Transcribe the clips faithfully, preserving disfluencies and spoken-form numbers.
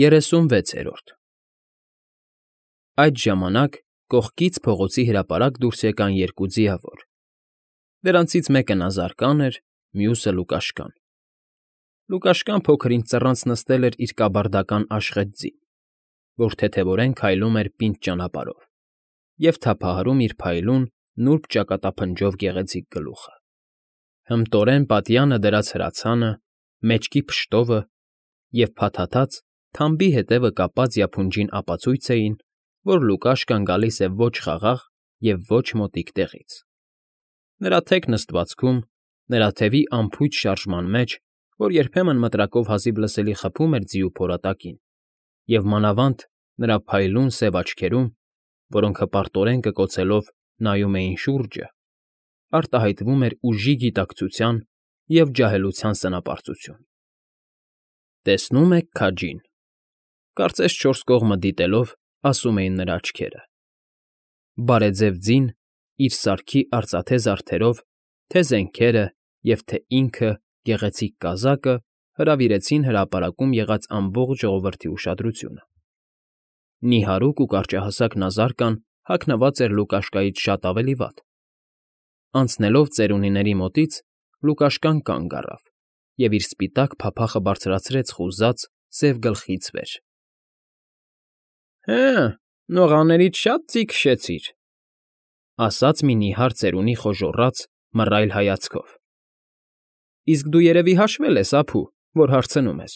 Երեսունվեցերորդ Այդ ժամանակ կողքից փողոցի հրապարակ դուրս եկան երկու ձիավոր. դրանցից մեկը նազարկան էր, մյուսը՝ Լուկաշկան. Լուկաշկան փոքր-ինչ ծռանց նստել էր իր կաբարդական աշխտ ձին, որ թեթևորեն քայլում էր պինդ ճանապարհով և թափահարում իր փայլուն, նուրբ ճակատափնջով գեղեցիկ գլուխը. հմտորեն պատյանը դրած հրացանը, մեջքի փշտովը և փաթաթած, թամբի ետևը կապած յափունջին ապացույց էին, որ Լուկաշկան գալիս է ոչ խաղաղ և ոչ մոտիկ տեղից. նրա թեք նստվածքում, նրա թևի անփույթ շարժման մեջ, որ երբեմն մտրակով հազիվ լսելի խփում էր ձիու փորատակին, և մանավանդ նրա փայլուն սև աչքերում, որոնք հպարտորեն կկոցելով նայում էին շուրջը, արտահայտվում էր ուժի գիտակցության և ջահելության սնապարծություն։ «Տեսնո՞ւմ եք քաջին,֊ կարծես չորս կողմը դիտելով, ասում էին նրա աչքերը։ Բարեձև ձին, իր սարքի արծաթե զարդերով, թե զենքերը և թե ինքը՝ գեղեցիկ կազակը հրավիրեցին հրապարակում եղած ամբողջ ժողովրդի ուշադրությունը։ Նիհարուկ ու կարճահասակ նազարկան հագնված էր Լուկաշկայից շատ ավելի վատ. անցնելով ծերունիների մոտից՝ Լուկաշկան կանգ առավ և իր սպիտակ փափախը բարձրացրեց խուզած, սև գլխից վեր։ ֊ Հը՜, նողաներից շատ ձի քշեցիր,֊ ասաց մի նիհար ծերունի խոժոռաց, մռայլ հայացքով։ ֊ Իսկ դու երևի հաշվել ես, ափու, որ հարցնում ես,֊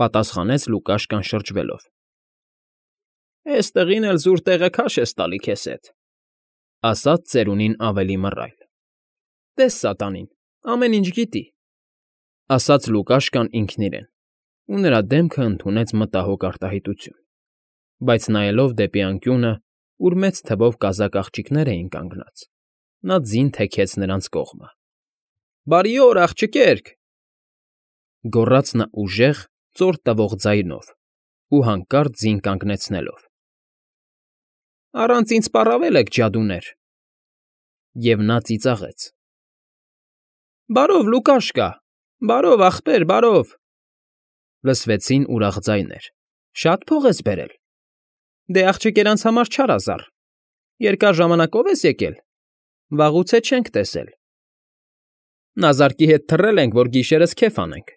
պատասխանեց Լուկաշկան շրջվելով։ ֊ Էստեղին էլ զուր տեղը քաշ ես տալի քեզ հետ,֊ ասաց ծերունին ավելի մռայլ։ ֊ Տես սատանին, ամեն ինչ գիտի,֊ ասաց Լուկաշկան ինքն իրեն, ու նրա դեմքը ընդունեց մտահոգ արտահայտություն, բայց նայելով դեպի անկյունը, ուր մեծ թվով կազակ աղջիկներ էին կանգնած, նա ձին թեքեց նրանց կողմը։ ֊ Բարի օր, աղջկերք,֊ գոռաց նա ուժեղ, ծոր տվող ձայնով ու հանկարծ ձին կանգնեցնելով։֊ Առանց ինձ պառավել եք, ջադուներ… Եվ նա ծիծաղեց։ ֊ Բարով, Լուկաշկա, բարով, ախպեր, բարով,֊ լսվեցին ուրախ ձայներ։֊ Շա՞տ փող ես բերել։ Դե, աղջիկերանց համար չարազառ… Երկար ժամանակո՞վ ես եկել, վաղուց է չենք տեսել։ ֊ Նազարկի հետ թռել ենք, որ գիշերս քեֆ անենք,֊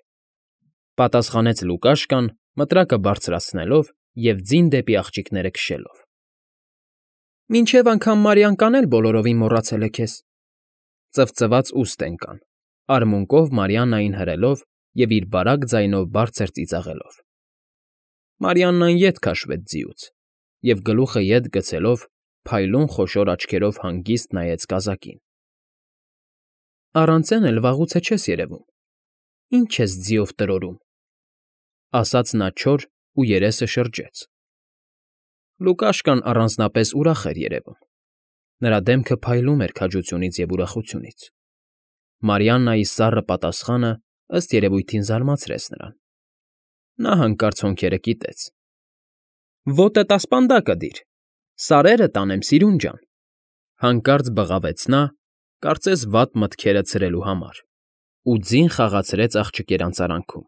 պատասխանեց Լուկաշկան, մտրակը բարձրացնելով և ձին դեպի աղջիկները քշելով։ ֊ Մինչև անգամ Մարիանկան էլ բոլորովին մոռացել է քեզ,֊ ծվծված ուստ ընկան, արմունկով Մարիաննային հրելով և իր բարակ ձայնով բարձր ծիծաղելով։ Մարիաննան ետ քաշվեց ձիուց և, գլուխը ետ գցելով, փայլուն խոշոր աչքերով հանգիստ նայեց կազակին։ ֊ Առանց էն էլ վաղուց է չես երևում, ի՞նչ ես ձիով տրորում,֊ ասաց նա չոր ու երեսը շրջեց։ Լուկաշկան առանձնապես ուրախ էր երևում, նրա դեմքը փայլում էր քաջությունից և ուրախությունից։ Մարիաննայի սառը պատասխանը, ըստ երևույթին, զարմացրեց նրան։ Նա հանկարծ հոնքերը կիտեց։ ֊ Ոտդ ասպանդակը դիր, սարերը տանեմ, սիրուն ջան,֊ հանկարծ բղավեց նա, կարծես վատ մտքերը ցրելու համար, ու ձին խաղացրեց աղջկերանց արանքում։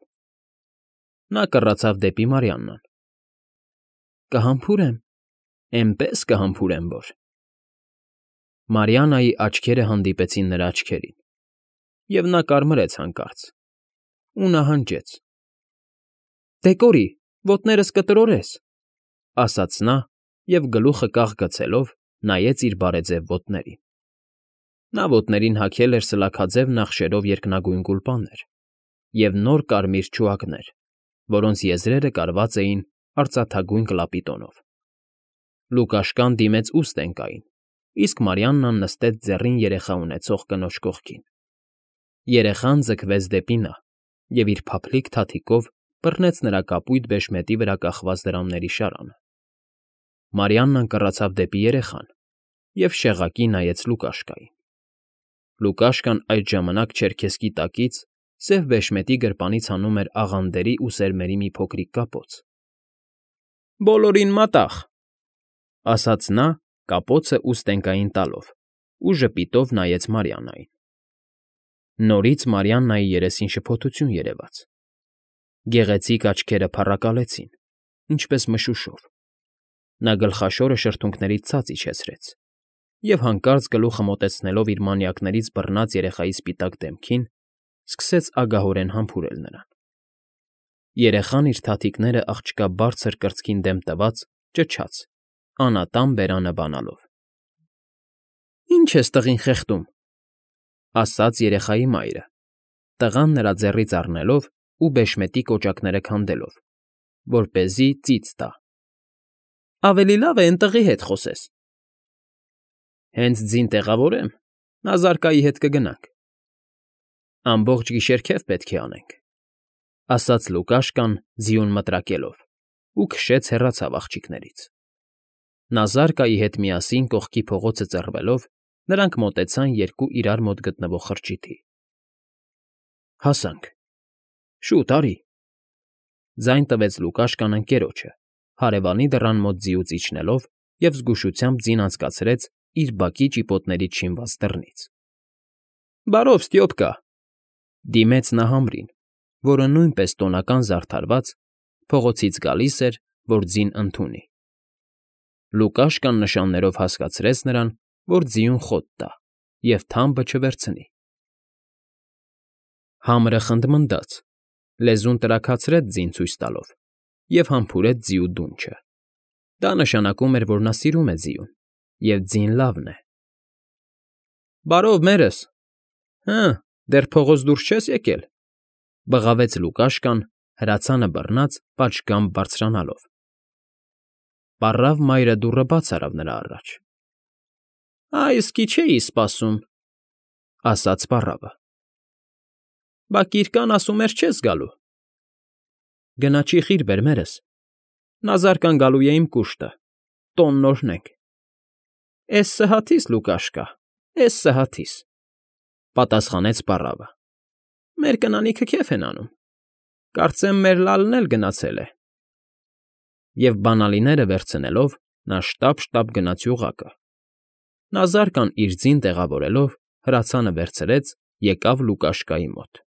Նա կռացավ դեպի Մարիաննան։ ֊ Կհամբուրեմ, էնպես կհամբուրեմ, որ… Մարիաննայի աչքերը հանդիպեցին նրա աչքերին, և նա կարմրեց հանկարծ, ու նահանջեց։ ֊ Դե, կորի, ոտներս կտրորես,֊ ասաց նա և, գլուխը կախ գցելով, նայեց իր բարեձև ոտներին։ Նա ոտներին հագել էր սլաքաձև նախշերով երկնագույն գուլպաներ և նոր կարմիր չուակներ, որոնց եզրերը կարված էին արծաթագույն կլապիտոնով։ Լուկաշկան դիմեց ուստ ընկային, իսկ Մարիաննան նստեց ձեռին երեխա ունեցող կնոջ կողքին։ Երեխան ձգվեց դեպի նա և իր փափլիկ թաթիկով բռնեց նրա կապույտ բեշմետի վրա կախված դրամների շարանը։ Մարիաննան կռացավ դեպի երեխան և շեղակի նայեց Լուկաշկային։ Լուկաշկան այդ ժամանակ չերքեսկի տակից սև բեշմետի գրպանից հանում էր աղանդերի ու սերմերի մի փոքրիկ կապոց։ ֊ Բոլորին մատաղ,֊ ասաց նա, կապոցը ուստ ընկային տալով, ու ժպիտով նայեց Մարիաննային։ Նորից Մարիաննայի երեսին շփոթություն երևաց։ Գեղեցիկ աչքերը փառակալեցին, ինչպես մշուշով։ Նա գլխաշորը շրթունքներից ցած իջեցրեց և, հանկարծ գլուխը մոտեցնելով իր մանյակներից բռնած երեխայի սպիտակ դեմքին, սկսեց ագահորեն համբուրել նրան։ Երեխան, իր թաթիկները աղջկա բարձր կրծքին դեմ տված, ճչաց, անատան բերանը բանալով։ ֊ Ի՞նչ ես տղին խեղդում,֊ ասաց երեխայի մայրը, տղան նրա ձեռքից առնելով ու բեշմետի կոճակները քանդելով, որպեսզի ծիծ տա։ ֊ Ավելի լավ է էն տղի հետ խոսես։ ֊ Հենց ձին տեղավորեմ, նա զարկայի հետ կգնանք։ ֊ Ամբողջ գիշեր քեֆ պետք է անենք,֊ ասաց Լուկաշկան, ձիուն մտրակելով, ու քշեց հեռացավ աղջիկներից։ Նա զարկայի հետ միասին կողքի փողոցը ծռվելով, նրանք մոտեցան երկու իրար մոտ գտնվող խրճիթի։ ֊ Հասանք։ ֊ Շուտ, արի,֊ ձայն տվեց Լուկաշկան ընկերոջը, հարևանի դռան մոտ ձիուց իջնելով և զգուշությամբ ձին անցկացրեց իր բակի ճիպոտներից շինված դռնից։ ֊ Բարով, Ստյոպկա,֊ դիմեց նա համրին, որը նույնպես տոնական զարդարված, փողոցից գալիս էր, որ ձին ընդունի։ Լուկաշկան նշաններով հասկացրեց նրան, որ ձիուն խոտ տա և թամբը չվերցնի։ Համրը խնդմնդաց, լեզուն տրաքացրեց ձին ցույց տալով և համբուրեց ձիու դունչը։ Դա նշանակում էր, որ նա սիրում է ձիուն, և ձին լավն է։ ֊ Բարով, մերս։ Հը, դեռ փողոց դուրս չե՞ս եկել,֊ բղավեց Լուկաշկան, հրացանը բռնած պատշգամբ բարձրանալով։ Պառավ մայրը դուռը բաց արավ նրա առաջ։ ֊ Ա, իսկի չէի սպասում,֊ ասաց պառավը։ ֊ Բա Կիրկան ասում էր չես գալու։ ֊ Գնա չի խիր բեր, մերս, նա զարկան գալու է իմ կուշտը, տոնն օրհնենք։ ֊ Էս սհաթիս, Լուկաշկա, էս սհաթիս,֊ պատասխանեց պառավը։ ֊ Մեր կնանիքը քեֆ են անում, կարծեմ մեր Լալն էլ գնացել է։ Եվ բանալիները վերցնելով՝ նա շտապ֊շտապ գնաց յուղակը։ Նա զարկան իր ձին տեղավորելով, հրացանը վերցրեց, եկավ Լուկաշկայի մոտ։